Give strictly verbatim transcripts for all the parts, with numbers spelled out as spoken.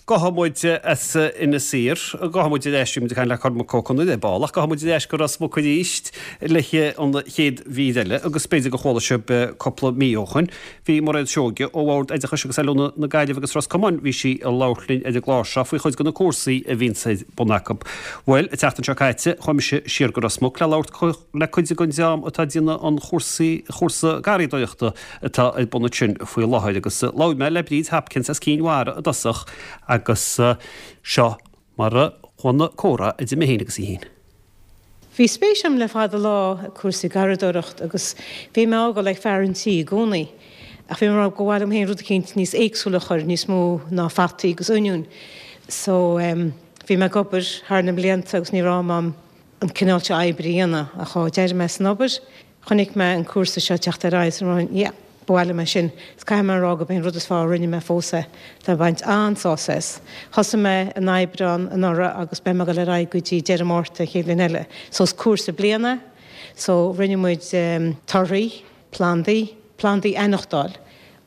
Gabhfaidh muid as Inis Oírr, gabhfaidh muid ar ais, muid ag caint le Cormac Ó Conaire ar ball, ach gabhfaidh muid ar ais go Ros Muc arís le an chéad mhír eile agus b'fhéidir gur chuala sibh cúpla mí ó shin. Bhí Mairéad Seoige ó Bhord Oideachais agus Oiliúna na Gaillimhe agus Ros Comáin, bhí sí ag labhairt linn ar an gclár seo faoi chuid de na cúrsaí a bhíonn ar bun acu. Bhuel, an tseachtain seo caite, chuaigh mise siar go Ros Muc le labhairt le cuid den dream atá ag déanamh an chúrsaí chúrsa garraíodóireachta atá ar bun ansin faoi láthair agus labhair mé le Bríd Hopkins as Cinn Mhara i dtosach agus seo mar a chuaigh an comhrá idir mé féin agus í féin. Bhí spéis agam le fada lá i cúrsaí garraíodóireacht agus bhí mé ag gabháil ag fear an tí i gcónaí. Ach bhí mé ag rá gur mhaith liom féin rud eicínt níos éagsúla a chur, níos mó ná fataí agus oinniúin. So um, bhí mé ag obair thar na blianta agus ní raibh am agam an cineál seo oibre a dhéanamh ach ó d'éirigh mé san obair, chonaic mé an cúrsa seo teacht ar aghaidh so yeah, ba mhaith liom é sin. Is caithfidh mé a rá gurb é an rud is fearr a rinne mé fós é. Tá baint an-sásamh as. Thosaigh mé in Aibreán anuraidh agus beidh mé ag dul ar aghaidh go dtí deireadh Márta chéad bhliain eile. So is cúrsa bliana, so rinne muid um, torthaí, plandaí, plandaí a aithneachtáil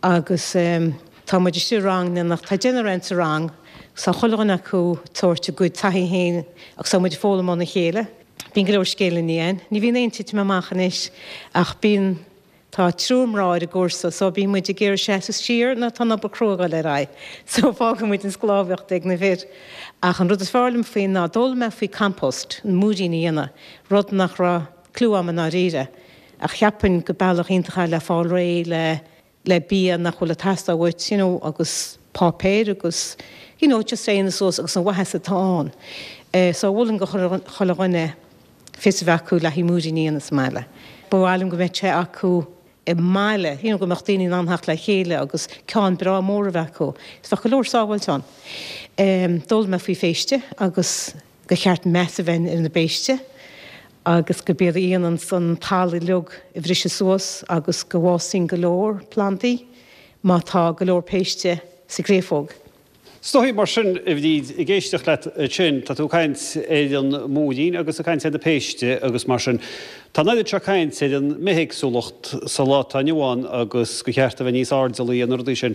agus um, tá muid istigh rang nach tá deichniúr ann sa rang, sa chuile dhuine acu tabhairt a gcuid taithí féin agus tá muid foghlaim óna chéile. Bíonn go leor scéileanna ann. Ní bhíonn aon titim amach anois ach bíonn Tá triúr mná ar an gcúrsa, so bíonn muid ag iarraidh seasamh siar nó tá an obair chrua ag dul ar aghaidh. So fágann muid an sclábhaíocht ag na fir. Ach an rud is fearr liom faoi ná d'fhoghlaim mé faoi compost, an múirín a dhéanamh, rud nach raibh clue agam i ndáiríre. Ach cheapfainn go bealach iontach é le fáil réidh le le bia nach bhfuil ag teastáil uait, you know, agus páipéir agus you know, just é suas agus an mhaitheas atá ann. Uh, so mholfainn do chuile dhuine fios a bheith acu le haghaidh múirín a dhéanamh sa mbaile. Ba mhaith liom go mbeadh sé acu i mbaile, you know, go mbeadh daoine in ann theacht le chéile agus ceann breá mór a bheith acu. Is bheadh go leor sábháilte ann. Um, D'fhoghlaim mé faoi phéiste agus gur cheart meas a bheith ar na péiste agus go b'iad a dhéanann an talamh uilig a bhriseadh suas agus go bhfásann go leor plandaí má tá go leor péiste sa gcréafóg. Is dóigh mar sin a Bhríd ag éisteacht leat sin, tá tú ag caint ar an múirín agus ag caint ar na péiste agus mar sin. Tá an oiread seo caint ar an mbithéagsúlacht sa lá atá inniu ann agus gur cheart a bheith níos airdeallaí ar na rudaí sin.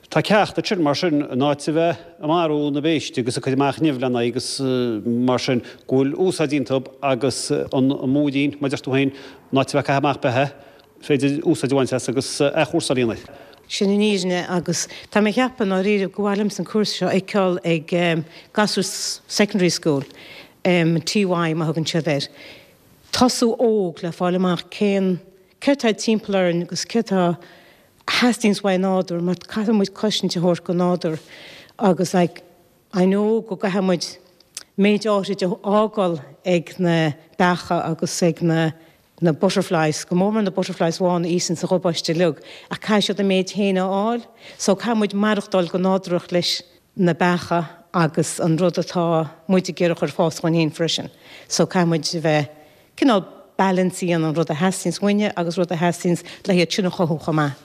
Tá ceacht sin mar sin in áit a bheith ag marú na bpéistí agus ag cur amach nimh lena agus mar sin go bhfuil úsáid iontu agus an múirín mar a deir tú féin in áit a bheith ag caitheamh amach beatha, féidir úsáid a bhaint as agus athchúrsáil a dhéanamh. Sin an fhírinne agus tá mé ag ceapadh ndáiríre go bhfuil an cúrsa seo feiceáil ag um, gasúir secondary school, um, T Y mar thugann siad air. Tosú óg le fáil amach cén céard atá timpeall orainn agus céard atá theastaíonn uaidh nádúr, mar caithfidh muid cosaint a thabhairt don nádúr agus like, I know go gcaithfidh muid méid áirid a fhágáil ag na beacha agus ag na na butterflies, go mór na butterflies bhána ísan sa ghobáiste lug, ach caithfidh siad a méid féin a fháil, so caithfidh muid maireachtáil go nádúrach leis na beacha agus an rud atá muid ag iarraidh chur fás chun cinn freisin. So caithfidh muid a bheith cineál balance an rud a theastaíonn uainne agus rud a theastaíonn le hiad sin a chothú chomh maith.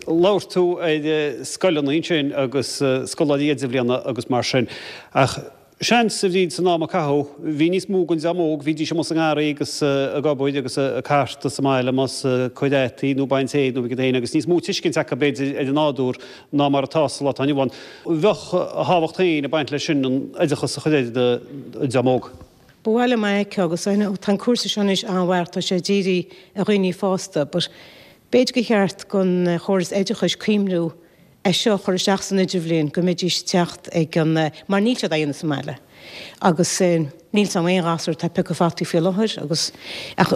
Labhair tú ar scoileanna sin agus scoláirí idirbhliana agus mar sin ach seans a Bhríd san am a caitheadh, bhí níos mó den dream óg, bhídís amuigh sa ngarraí agus ag obair agus ag cartadh sa mbaile más cur fhataí nó baint féir nó iad féin agus níos mó tuiscint acu b'fhéidir ar an nádúr ná mar atá sa lá atá inniu ann. Bheadh a thábhacht féin ag baint leis sin an oideachas a chur ar an dream óg. Ba mhaith liom é agus tá an cúrsa seo anois an-mhaith tá sé dírithe ar dhaoine fásta, but b'fhéidir gur cheart don chóras oideachais cuimhniú é seo chur isteach san idirbhliain go mbeidís teacht ag an mar níl siad aon sa mbaile. Agus níl sam aon ghasúr atá ag piocadh fataí faoi láthair agus ach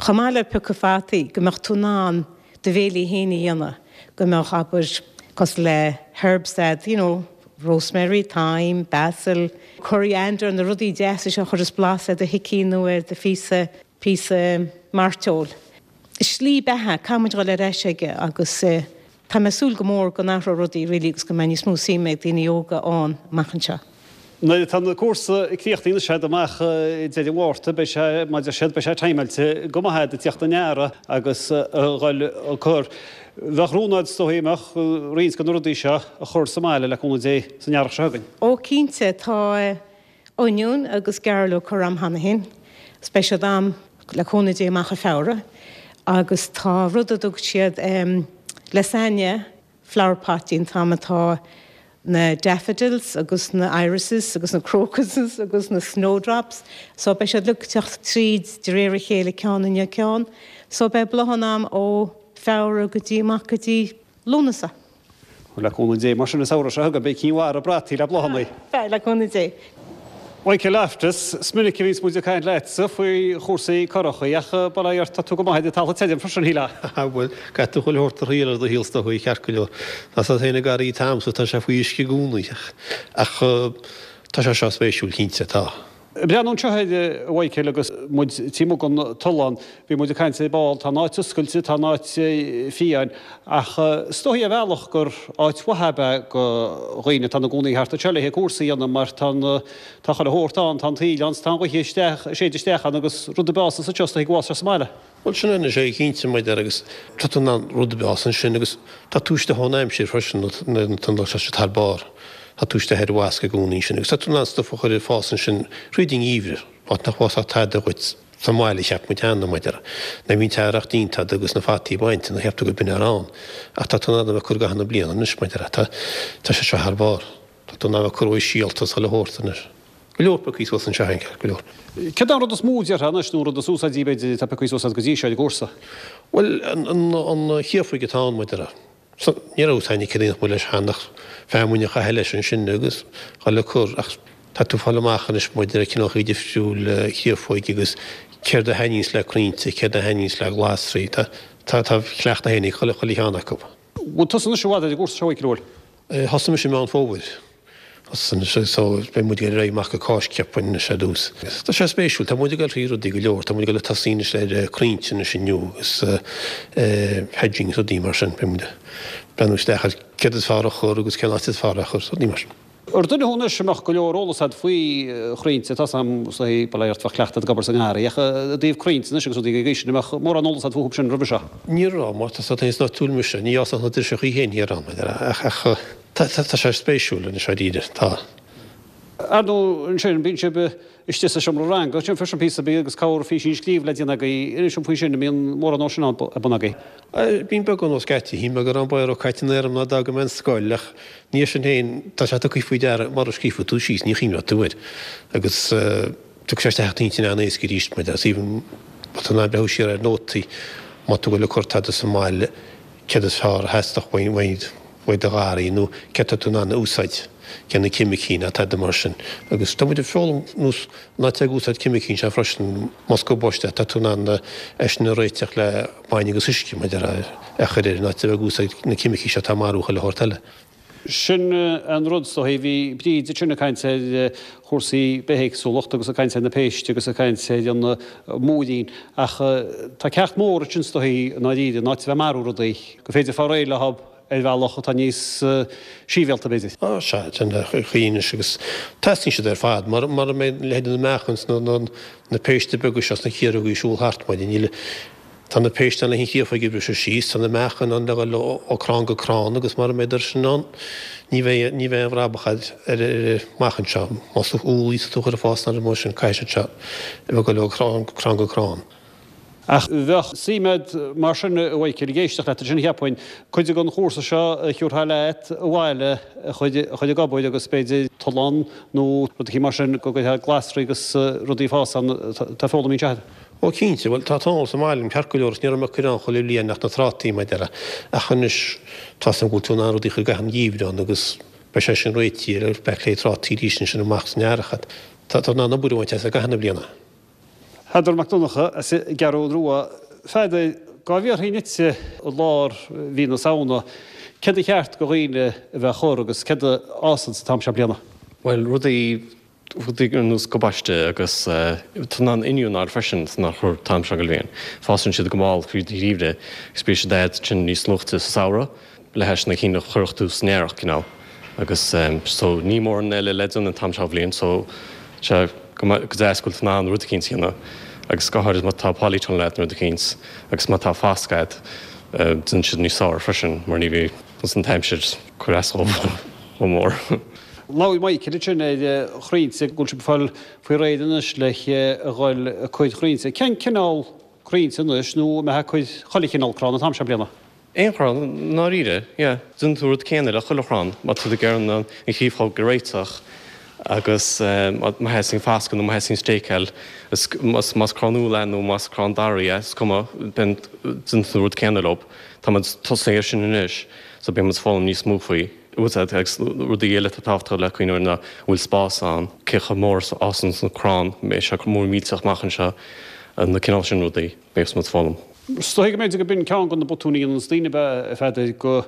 chomh maith le piocadh fataí go mbeadh tú in ann do bhéilí féin a dhéanamh go mbeadh abair cosúil le herbs that, you know, rosemary, thyme, basil, coriander na rudaí deasa seo a chuireann blas ar do shicín nó ar do phíosa píosa mairteoil. Slí beatha caithfimid dul ar ais aige agus uh, tá mé súil go mór go n-athróidh rudaí really agus go mbeidh níos mó suime ag daoine óga ann amach anseo. Nuair atá na cúrsa críochnaithe sé amach deireadh Mhárta beidh sé maidir siad beidh sé timeáilte go maith do theacht an earraigh agus a dhul a cur. Bheadh rún agat is dóigh amach roinnt de na rudaí seo a chur sa mbaile le cúnamh Dé san earrach seo chugainn. Ó cinnte tá oinniún agus gairleog curtha agam cheana féin, beidh siad agam le cúnamh Dé amach i Feabhra, agus tá rud a dtug siad um, lasagna flower pot an t-am atá na daffodils agus na irises agus na crocuses agus na snowdrops, so beidh siad ag teacht tríd de réir a chéile ceann i ndiaidh ceann, so beidh bláthanna a'm ó Feabhra go dtí amach go dtí Lúnasa. Le cúnamh Dé, mar sin an samhradh seo chugainn beidh cinn mhara brataí le bláthanna. Beidh, le cúnamh Dé. Michael Loftus, is minic a bhíonns muid ag caint leatsa faoi chúrsaí curachaí ach bail ó Dhia ort tá tú go maith ar an talamh tirim freisin, shílfeá. Bhuel, caithfidh tú chuile shórt a thriail ar do shaol is dóigh, ceart go leor. Tá a fhios agat féin an garraí atá a'msa, tá sé faoi uisce i gcónaí ach tá sé seo spéisiúil cinnte, tá. Breathnú anseo air, a Mhichael, agus muid taobh amuigh den tollán, bhí muid ag caint ar ball, tá an áit oscailte, tá an áit fiáin, ach is dóichí ar bhealach gur áit mhaith ab ea go dhaoine atá ina gcónaí thart anseo le haghaidh cúrsaí a dhéanamh mar tá an, tá chuile shórt ann, tá an tsaoil ann, tá an ghaoth isteach, ag séideadh isteach ann agus rud ar bith a fhásas anseo is dóichí go bhfásfaidh sé sa mbaile. Bhuel sin é anois é cinnte mar a déarfá agus tá tú in ann rud ar bith a fhás ansin agus tá tú istigh ón aimsir freisin nó tá sé thar barr. Tá tú istigh ar bhasc i gcónaí ansin agus tá tú in ann stuif a chur ag fás ansin thríd an ngeimhreadh, áit nach bhfásfadh tada dhuit sa mbaile, cheap muid cheana, mar a déarfá. Nuair a bhí an t-earrach déanta agat agus na fataí bainte, nó cheap tú gurb in a raibh ann. Ach tá tú in ann a bheith ag cur i gcaitheamh na bliana anois, mar a déarfá. Tá, tá sé seo thar barr. Tá tú in ann a bheith ag cur uaidh síolta is chuile shórt anois. Go leor pioctha suas anseo féin, ceart go leor. Céard é an rud is mó déarfá anois, nó an rud is úsáidí b'fhéidir atá pioctha suas agat go dtí seo ar an gcúrsa? Bhuel, an, an, an chréafóig atá ann, mar a déarfá. Ní raibh a fhios againn cad a dhéanfadh muid leis cheana ach feamainn a chaitheamh leis ansin agus dhul ag cur ach tá tú ag fáil amach anois maidir le cineálacha difriúil créafóige agus céard a thaitníonns le crainnte, céard a thaitníonns le glasraí. Tá tá tá cleachtadh féin ag chuile chuile cheann acu. Bhfuil tusa anois i bhfad ar an gcúrsa seo a Mhichael, an bhfuil? Thosaigh mise i Meán Fómhair. Anois so beidh muid ag dul ar aghaidh amach go Cáisc cheapfainn anois ar dtús. Tá sé spéisiúil, tá muid ag dul thrí rudaí go leor, tá muid ag dul ag tosaí anois ar crainnte anois inniu agus hedging is rudaí mar sin, beidh muid ag breathnú isteach ar céard is fearr a chur agus cén áit is fearr é a chur, rudaí mar sin. Ar duine thú anois a mbeadh go leor eolas agat faoi chrainnte, tá 's a'm is dóigh, bail ó Dhia ort, bheadh cleachtadh ag obair sa ngarraí, ach i dtaobh crainnte anois agus rudaí den gcaoi sin, an mbeadh mórán eolas agat fúthu sin roimhe seo? Ní raibh, mar tá 's agat féin is áitiúil mise, ní fhásfadh na driseachaí féin thiar ann, ach ach. Tá, tá sé spéisiúil anois dáiríre, tá. Ar ndóigh, ansin, bíonn sibh istigh sa seomra ranga, ansin freisin píosa beag agus cabhair físín scríobh le déanamh agaibh. Inis dom faoi sin, an mbíonn mórán dó sin ar bun agaibh? Bíonn beagán ó scaití, shíl mé go raibh an báire caite in aer agam nuair a d'fhága mé an scoil ach ní sin féin, tá sé tugtha faoi deara mura scríobhfaidh tú síos, ní chuimhneoidh tú air agus tiocfaidh sé isteach i d'intinn an-éasca arís, mar is aoibhinn má tá tú in ann breathnú siar ar nótaí, má tá tú ag dul ag cur tada sa mbaile, céard is fearr a theastódh uaidh. uaidh do gharraí nó céard tá tú in ann a úsáid, cé na ceimicí ná tada mar sin. Agus tá muid ag foghlaim nós ná téigh ag úsáid ceimicí anseo freisin, más gabáiste tá tú in ann é sin a réiteach le bainne agus uisce maidir a chur air, ná téigh ag úsáid na ceimicí seo atá ag marú chuile shórt eile. Sin an rud is dóichí. Bhí Bríd ansin ag caint ar chúrsaí bithéagsúlacht agus ag caint ar na péist agus ag caint ar an múirín ach tá ceacht mór ansin is dóichí i ndáiríre, ná a bheith ag marú rudaí, gur féidir fáil réidh leo ar bhealach atá níos síbhialta, b'fhéidir. Á, sea, sin an chaoi anois agus teastaíonn siad ar fad. Mura mbeidh leithéidí na meachain 's na péiste beaga seo 's na ciarógaí ag siúl thart, maidin, níl, tá na péiste ann le an chréafóig a bhriseadh síos, tá na meachain ann le dhul ó crann go crann agus mura mbeidh sin ann, ní bheidh, ní bheidh aon bhrabach ar, ar, amach anseo. Más úllaí atá tú a chur ag fás ná rud mar sin, caithfidh siad seo a bheith ag dul ó chrann go crann. Ach bheadh suim a'd mar sin, a Mhichael, ag éisteacht leat ansin, cheapfainn, cuid den chúrsa seo a thiúrfá leat abhaile a chur ag obair agus b'fhéidir tollán nó rud eicínt mar sin go gcuirfeá glasraí agus rudaí ag fás ann atá foghlamtha anseo. Ó cinnte, bhuel tá an t-eolas sa mbaile agam ceart go leor is ní raibh mé ag cur ann chuile bhliain ach na trátaí mar a déarfá ach anois tá 's agam go bhfuil tú in ann rudaí a chur i gcaitheamh an gheimhridh ann agus beidh sé sin réitithe ar feadh le trátaí arís ansin amach san earrach. Tá tú in ann obair a bhaint as i gcaitheamh na bliana. Peadar Mac Donncha as an gCeathrú Rua. A Pheadair, dhá bhfiafraínn dhíotsa i lár mhí na Samhna, céard a cheart go dhaoine a bheith a chur agus céard a fhásann sa t-am seo bliana? Bhuel, rudaí, rudaí ar nós gabáiste agus tú in ann oinniún a fháil freisin san a chur t-am seo den bhliain. Fásann siad go mall fríd an gheimhreadh agus bíonn siad agat ansin níos luaite sa samhradh. Le hais na cinn a chuirfeadh tú san earrach, cineál. Agus so ní mórán eile le déanamh an t-am seo bhliain so sé go go deas go bhfuil tú in ann rud eicínt a dhéanamh agus go háirid má tá polytunnel agat nó rud eicínt agus má tá fasc agat déanann siad níos fearr freisin mar ní bhíonn an t-aimsir ag cur as chomh mór. Labhair Michael ansin ar chrainnte go bhfuil sibh ag fáil faoi réir anois le a dhul ag cur crainnte. Cén cineál crainnte anois nó an mbeifeá ag cur chuile chineál crann an t-am seo bliana? Aon chrann, i ndáiríre, yeah. Déanann tú an rud céanna le chuile chrann, má tá tú ag iarraidh an chriofóg a réiteach agus má theastaíonn fascadh nó má theastaíonn stéiceáil, más crann úll é nó más crann daraí é, is cuma, déanann tú an rud céanna leo. Tá muid tosaithe air sin anois so beidh muid ag foghlaim níos mó faoi. Agus rudaí eile atá tábhachtach le cuimhneamh air ná an bhfuil spás ann, cé chomh mór is a fhásann an crann, an mbeidh sé mór millteach amach anseo, na cineál sin rudaí, beidh muid ag foghlaim. Is dóigh go mb'fhéidir go b'in ceann de na botúin a dhéananns daoine ab ea, a Pheadair, go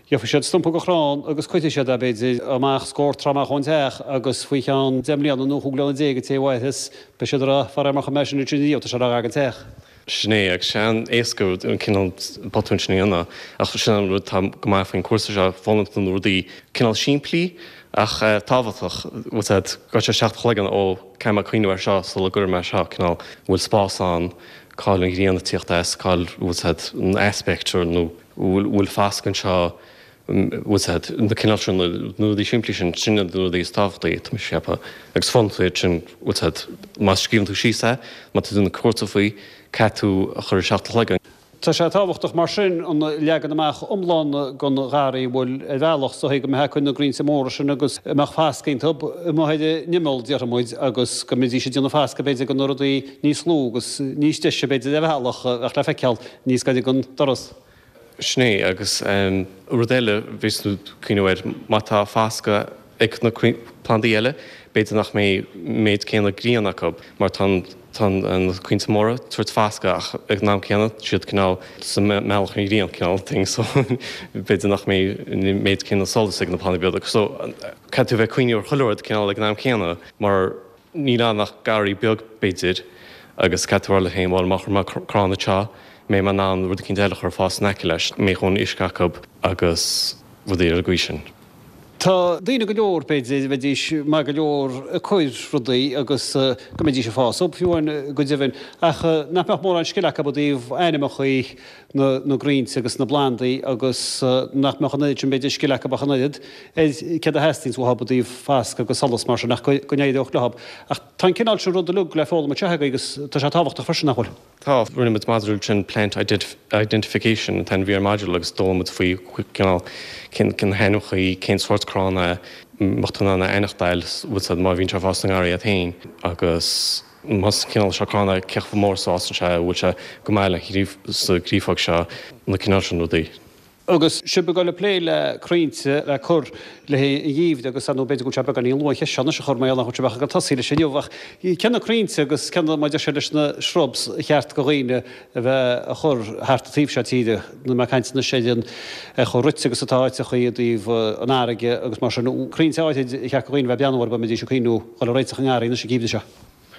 gheobhaidh siad stumpa de chrann agus cuirfidh siad é, b'fhéidir, amach scór troigh amach ón teach agus faoi cheann deich mbliana nó chúig bliana déag an té a mhairfeas, beidh siad ag rá, faraor mar chuir mé sin ansin riamh, tá sé gar don teach. Sin é, agus sé an-éasca an cineál botúin sin a dhéanamh, ach sin an rud atá go maith faoin cúrsa seo, foghlaimíonn tú na rudaí cineál simplí ach tábhachtach, bhfuil a fhios agat, gabhfaidh sé isteach i do chloigeann, ó, caithfidh mé cuimhneamh air seo sula gcuirfidh mé seo, cineál, an bhfuil spás ann, cá bhfuil an ghrian ag tíocht as, cá bhfuil a fhios agat an aspect nó bhfuil fascadh anseo, bhfuil a fhios agat, na cineál sin, na rudaí simplí sin, sin iad na rudaí is tábhachtaí, tá mise ag ceapadh. Agus foghlaimíonn tú iad sin, bhfuil a fhios agat, má scríobhann tú síos é, má tá tú ag déanamh cúrsa faoi, caithfidh tú a chur isteach i do chloigeann. Tá sé tábhachtach mar sin an leagan amach iomlán den gharraí a bhfuil ar bhealach is dóigh go mbeifeá ag cur na gcrainnte móra sin agus a mbeadh fascadh iontu amuigh ar an imeall, déarfaidh muid, agus go mbeidís ag déanamh fascadh b'fhéidir do na rudaí níos lú agus níos deise b'fhéidir ar bhealach a bheadh le feiceáil níos gaire don doras. Sin é, agus rud eile a bhíos tú ag cuimhneamh air, má tá fascadh ag na plandaí eile, b'fhéidir nach mbeidh méid céanna grian acu mar tá tá na crainnte móra ag tabhairt fascadh ach ag an am céanna tá siad cineál sa mbealach ar an ghrian cineál thing so b'fhéidir nach mbeidh an méid céanna solas ag na plandaí beaga so caithfidh tú bheith ag cuimhneamh ar chuile rud cineál ag an am céanna mar níl ann ach garraí beag b'fhéidir agus caithfidh tú a rá leat féin bhuel má chuir mé crann anseo mbeidh mé in ann rud eicínt eile a chur ag fás in aice leis, mbeidh a dhóthain uisce acu agus rudaí ar an gcaoi sin. Tá daoine go leor, b'fhéidir, a bheidís maith go leor ag cur rudaí agus go mbeidís ag fás fiú amháin go deimhin, ach nach mbeadh mórán scil acu i dtaobh ainmneacha na gcrainnte agus na bplandaí agus nach mbeadh an oiread sin b'fhéidir scil acu ach an oiread ar céard a theastaíonns uathu i dtaobh fascadh agus solas mar sin ach go n-éireodh leo. Ach tá an cineál sin rud uilig le foghlaim anseo agaibh agus tá sé tábhachtach freisin, nach bhfuil? Tá, rinne muid module sin Plant Identification an t-ainm a bhí ar an module agus d'fhoghlaim muid faoi cineál cén cén hainmneacha, cén sórt crann é, mbeadh tú in ann a aithneachtáil bhfuil a fhios agat má bhíonn sé ag fás sa ngarraí agat féin agus más cineál seo crann é cé chomh mór is a fhásann sé, bhfuil sé go maith le sa gcréafóg seo, na cineál sin rudaí. Agus sibh ag dul ag plé le crainnte le cur le haghaidh an gheimhridh agus ar ndóigh b'fhéidir go bhfuil sé beagáinín luath an cheist seo anois a chur mar gheall nach bhfuil sibh ach ag dul tosaí leis inniu ach cé na crainnte agus cé na mar a deir siad leis na shrubs a cheart do dhaoine a bheith a chur thart an taobh seo tíre níl mé ag caint anois ar an ar chomh rite agus atá áiteachaí i dtaobh an fharraige agus mar sin crainnte áirid a cheart do dhaoine a bheith ag breathnú orthu a mbeidís ag cuimhniú dhul ag réiteach a ngarraí anois an geimhreadh seo.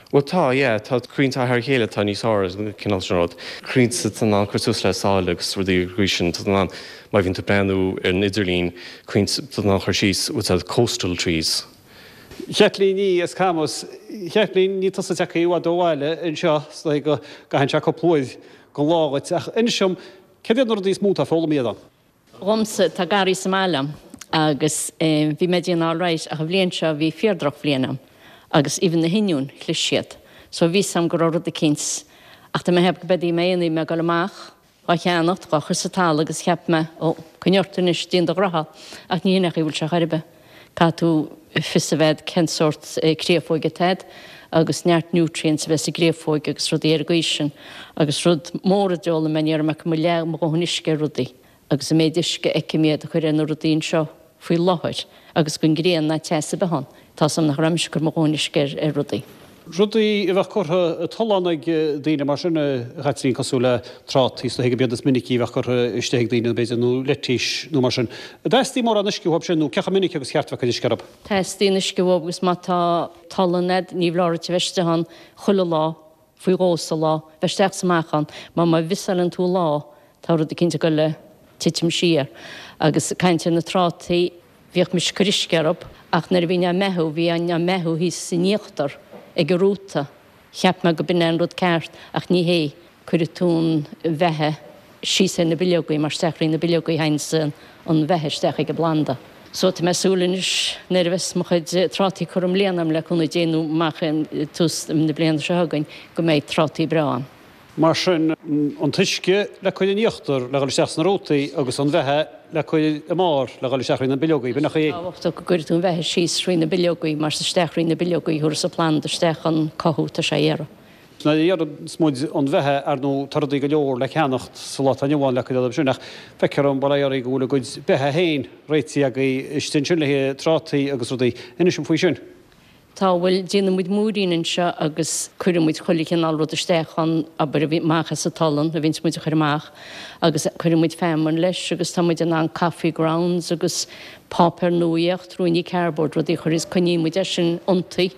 Bhuel tá, yeah, tá crainnte thar a chéile atá níos fearr, an cineál sin rud. Crainnte atá in ann cur suas le sáile agus rudaí ar an gcaoi sin, tá in ann, má bhíonn tú ag breathnú ar an idirlíon, crainnte atá in ann cur síos, bhfuil a fhios agat, coastal trees. Chaitlín Ní as Camus. Chaitlín, ní tusa atá i bhfad ó bhaile anseo, is dóigh go gcaitheann sé cúpla uair den lá dhuit, ach inis dom, céard iad na rudaí is mó atá foghlamtha agat? Dhomsa, tá garraí sa mbaile a'm agus bhí mé ag déanamh alright ach an bhliain seo bhí fíor droch bhliain a'm agus even na hoinniúin chlis siad so bhí 'fhios a'm go raibh rud eicínt ach tá mé ag ceapadh go b'fhéidir mé aon mé ag dul amach dhá cheannacht dhá chur sa talamh agus cheap mé ó coinnigh ort anois déan do ghraithe ach ní hin é an chaoi a bhfuil sé chor ar bith. Caithfidh tú fios a bheith a'd cén sórt créafóige atá a'd agus neart nutrients a bheith sa gcréafóig agus rudaí ar an gcaoi sin agus rud mór a d'fhoghlaim mé ní raibh mé ag cur mo leath mo dhóthain uisce ar rudaí agus an méid uisce a fheicim iad a chur ar na rudaí anseo faoi láthair agus gan grian ná teas ar bith ann, tá 'fhios a'm nach raibh mise ag cur mo dhóthain uisce ar ar rudaí. Rudaí a bheadh curtha i dtollán ag daoine mar sin, a Chaitlín, cosúil le trátaí, is dóigh go mb'iad is minicí a bheadh curtha istigh ag daoine, b'fhéidir, nó leitís nó mar sin. An dteastaíonn mórán uisce uathu sin nó cé chomh minic agus cheart a bheith ag cur uisce orthu? Teastaíonn uisce uathu agus má tá tollán a'd, ní foláir duit a bheith istigh ann chuile lá, faoi dhó sa lá, bheith isteach 's amach ann, mar má mhissáileann tú lá, tá rud eicínt ag goil a titim siar. Agus caint ar na trátaí, bhíodh mise ag cur uisce orthu, ach nuair a bhínn á mbeathú, bhínn á mbeathú thíos san íochtar ag an rúta. Cheap mé go b'in é an rud ceart, ach ní hé. Cuirfidh tú an bheatha síos ar na bileogaí, mar isteach thrí na bileogaí a théanns an bheatha isteach ag an bplanda. So tá mé ag súil anois nuair a bheas mo chuid trátaí curtha i mbliana agam le cúnamh Dé nó amach i tús na bliana seo chugainn go mbeidh trátaí breá ann. Mar sin an t-uisce le cur in íochtar le dhul isteach sna rútaí agus an bheatha le cur i mbarr le dhul isteach thrí na bileogaí. B'in é. Tábhachtach go gcuirfidh tú an bheatha síos thrí na bileogaí mar is isteach thrí na bileogaí a thabharfas an planda isteach an cothú atá sé a iarraidh. Nuair a iarranns muid an bheatha, ar ndóigh, tá rudaí go leor le ceannacht sa lá atá inniu ann le cur orthu sin ach feictear dom, bail ó Dhia oraibh, go bhfuil a gcuid beatha féin réitithe agaibh istigh ansin le haghaidh trátaí agus rudaí. Inis dom faoi sin. Tá, bhuel, déanann muid múirín anseo agus cuireann muid chuile chineál rud isteach ann, abair, a bhí amach as an tolann, a bhíonns muid a chur amach, agus cuireann muid feamainn leis agus tá muid in ann coffee grounds agus páipéar nuaíocht, ruainní cardboard, rudaí a chur is coinníonn muid é sin iontaithe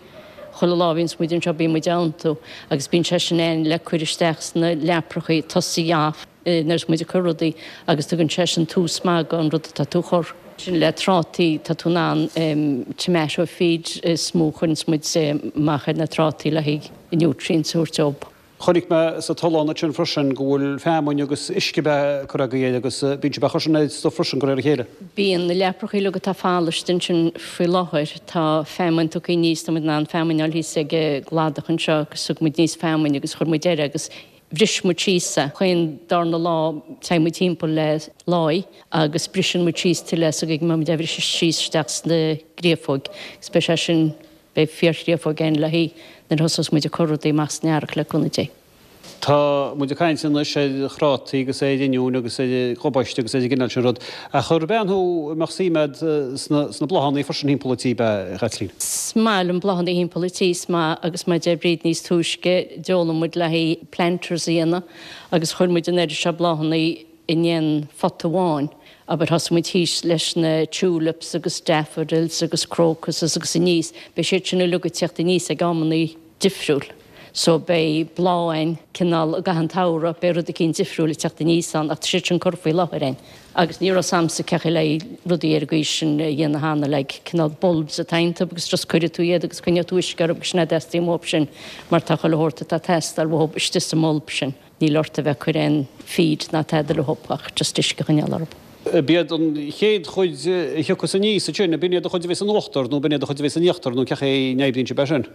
chuile lá a bhíonns muid anseo bíonn muid á iontú agus bíonn sé sin ann le cur isteach sna leaprachaí tosaigh off. Nuair atá muid ag cur rudaí agus tugann sé sin tús maith don rud atá tú a chur. Sin le trátaí, tá tú in ann tomato feed is mó a chuireanns muid amach ar na trátaí le haghaidh nutrients a thabhairt dóibh. Chonaic mé sa tollán ansin freisin go bhfuil feamainn agus uisce beatha curtha agaibh air agus bíonn sibh ag cur sin ar stuif freisin de réir a chéile. Bíonn na leaprachaí uilig atá folamh ansin faoi láthair, tá feamainn tugtha aníos, tá muid in ann feamainn a fháil thíos ag an gcladach anseo agus thug muid aníos feamainn agus chuir muid air agus Bhris muid síos é. Chaon darna lá téann muid timpeall le láí agus briseann muid síos tuilleadh so go mbeidh muid á bhriseadh síos isteach sna créafóig agus beidh sé sin, beidh fíorchréafóig againn le haghaidh nuair a thosós muid ag cur rudaí amach san earrach le cúnamh Dé. Tá muid ag caint anois ar thrátaí agus ar oinniúin agus ar ghabáiste agus ar an gcineál sin rud, ach ar bean thú a mbeadh suim agat sna bláthanna freisin thimpeall an tí, ab ea, a Chaitlín? Is maith liom bláthanna thimpeall an tí, is maith agus mar a deir Bríd níos túisce, d'fhoghlaim muid le haghaidh planters a dhéanamh agus chuir muid an oiread seo bláthanna in aon phota amháin. Abair thosaigh muid thíos leis na tulips agus daffodils agus crocuses agus aníos, beidh siad sin uilig ag teacht aníos ag amannaí difriúil. So beidh bláth ann cineál i gcaitheamh an tsamhraidh, beidh rud eicínt difriúil ag teacht aníos ann ach tá siad sin curtha faoi láthair againn. Agus ní raibh 's a'msa cé chaoi le rudaí ar an gcaoi sin a dhéanamh cheana, like cineál bulbs atá iontu agus just cuirfidh tú iad agus coinneoidh tú uisce orthu agus sin é a dteastaíonn uathu sin mar tá chuile shórt atá ag teastáil uathu istigh sa mbulb sin. Níl ort a bheith ag cur aon feed ná tada leo ach just uisce a choinneáil orthu. B'iad an chéad chuid a thiocfas aníos ansin, b'in iad an chuid a bheas in uachtar nó b'in iad an chuid a bheas in íochtar nó cé chaoi a n-oibríonn sibh é sin?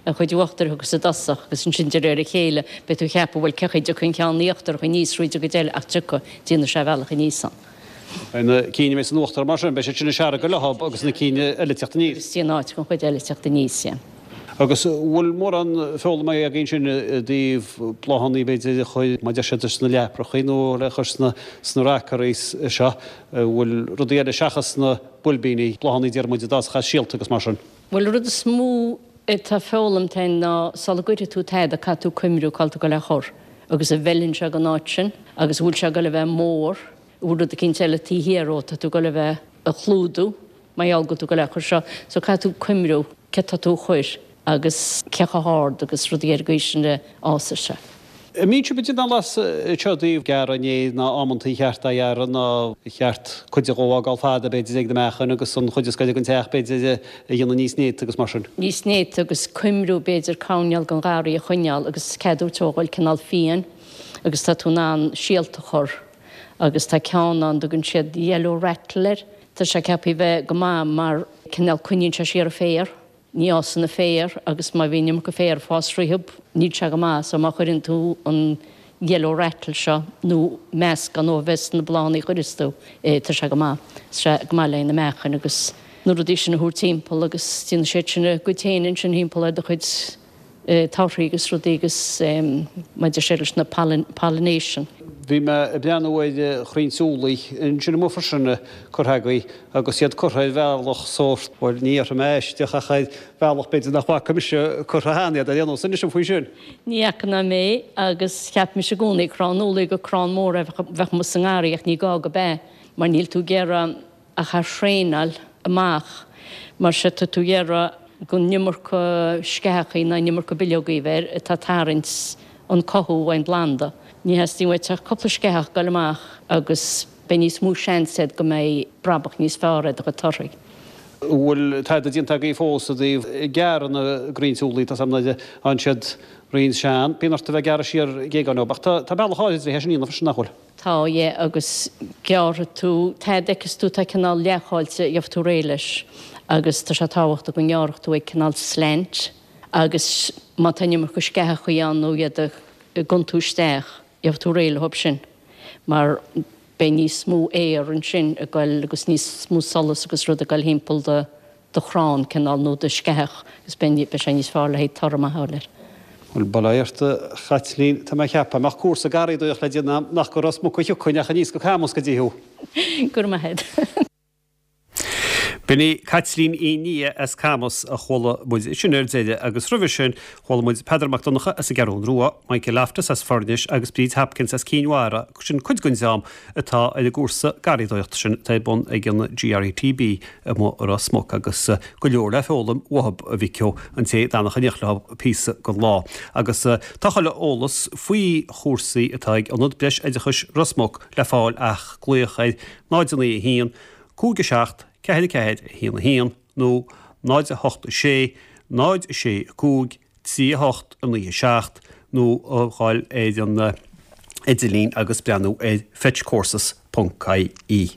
an chuid uachtair a thiocfas i dtosach agus ansin de réir a chéile beidh tú ag ceapadh bhuel cé chaoi a dtiocfaidh an ceann íochtarach aníos thríd an gcuid eile ach tiocfaidh, déanfaidh sé a bhealach aníos ann. Beidh na cinn a bheas in uachtar mar sin, beidh siad sin ag searradh leo agus na cinn eile ag teacht aníos. Agus déanamh áit don chuid eile teacht aníos, yeah. Agus bhfuil mórán foghlama againn sin i dtaobh bláthanna b'fhéidir a chur, mar deir siad, sna leaprachaí nó le cur sna sna rockeries seo, bhfuil rudaí eile seachas na boilbíní, bláthanna deir muid a d'fhásfadh as síolta agus mar sin? Bhuel, an rud is mó atá foghlamtha againn ná sula gcuirfidh tú tada caithfidh tú cuimriú cá bhfuil tú ag dul é a chur agus an bhfeileann sé don áit sin agus an bhfuil sé ag dul a bheith mór, an bhfuil rud eicínt eile taobh thiar dhó atá tú ag dul a bheith a chlúdú mar gheall go bhfuil tú ag dul é a chur seo. So caithfidh tú cuimriú cé tá tú a chur agus cé chomh hard agus rudaí ar an gcaoi sin a fhásfaidh sé. An mbíonn sibh ag déanamh eolas anseo i dtaobh gearradh an fhéir ná amantaí cheart a ghearradh ná cheart cuid dhó a fhágáil fada b'fhéidir ag na meachain agus an chuid is gaire don teach b'fhéidir a dhéanamh níos néata agus mar sin. Níos néata agus coimriú b'fhéidir coirnéal den gharraí a choinneáil agus ceadú tógáil cineál fiáin agus tá tú in ann síolta a chur agus tá ceann ann dtugann siad yellow rattle air tá sé ceaptha a bheith go maith mar cineál coinníonn sé siar an féar. Ní fhásann an féar agus má bhíonn iomarca féar ag fás fríothub níl sé go maith so má chuireann tú an yellow rattle seo nó meascán dhó a bheith sna bláthanna a chuireas tú tá sé go maith. Tá sé go maith le na meachain agus na rudaí sin a thabhairt timpeall agus déanann siad sin a gcuid féin ansin thimpeall ar do chuid torthaí agus rudaí agus maidir sé leis na pollination. Bhí mé ag breathnú ar chrainn úllaí ansin amuigh freisin curtha agaibh agus iad curtha ar bhealach sórt, bhuel ní dhéarfaidh mé aisteach ach ar bhealach b'fhéidir nach bhfaca mise curtha cheana iad ar aon nós. Inis dom faoi sin. Ní fhaca ná mé agus cheap mise i gcónaí crann úllaí gur crann mór a bheadh amuigh sa ngarraí ach ní gá go b'ea mar níl tú ag iarraidh ach a thraenáil amach mar sé tá tú ag iarraidh gan iomarca sceachaí ná an iomarca bileogaí a bheith air atá ag tarraingt an cothú ón bplanda. Ní theastaíonn uait ach cúpla sceach ag dul amach agus beidh níos mó seans agat go mbeidh brabach níos fearr ar do chuid torthaí. An bhfuil tada déanta agaibh fós i dtaobh gearradh na gcrainn úllaí? Tá 's agam nuair a fhaigheann siad roinnt sean, bíonn ort a bheith ag gearradh siar géagáin dóibh, ach tá bealach áirid le é sin a dhéanamh freisin, nach bhfuil? Tá, yeah, agus gearrfaidh tú, tada a fheiceas tú atá cineál leathcháilte, gheobhaidh tú réidh leis agus tá sé tábhachtach go ngearrfadh tú ag cineál slant agus má tá an iomarca sceachaí ann nó iad ag gconn tú isteach, gheobhaidh tú réidh leo sin mar beidh níos mó aer ansin ag goil agus níos mó solas agus rud ag goil thimpeall do do chrann cineál nó do sceach agus beidh beidh sé níos fearr le haghaidh toradh maith a fháil air. Bhuel, bail ó Dhia ort, a Chaitlín, tá mé ag ceapadh, mbeadh cúrsa garraíodóireachta le déanamh nach go Ros Muc a thiocfainn ach aníos go Camus go dtí thú. Go raibh maith agat. B'in í Caitlín Uí Nia as Camus a chuala muid sin ar deireadh agus roimhe sin chuala muid Peadar Mac Donncha as an gCeathrú Rua, Michael Loftus as Foirnis agus Bríd Hopkins as Cinn Mhara, sin cuid den dream atá ar an gcúrsa garraíodóireachta sin atá ar bun ag an GRATB amuigh i Ros Muc agus go leor le foghlaim uathub a mhic ó an té a d'fhanfadh in éineacht leo píosa den lá. Agus tá chuile eolas faoi chúrsaí atá ag Ionad Breis Oideachais Ros Muc le fáil ach glaoch ar náid a naoi a haon, cúig a seacht, ceathair a ceathair, a haon a haon nó náid a hocht a sé, náid a sé a cúig, trí a hocht, a naoi a seacht nó a ghabháil ar an idirlíon agus breathnú ar fetchcourses ponc ie.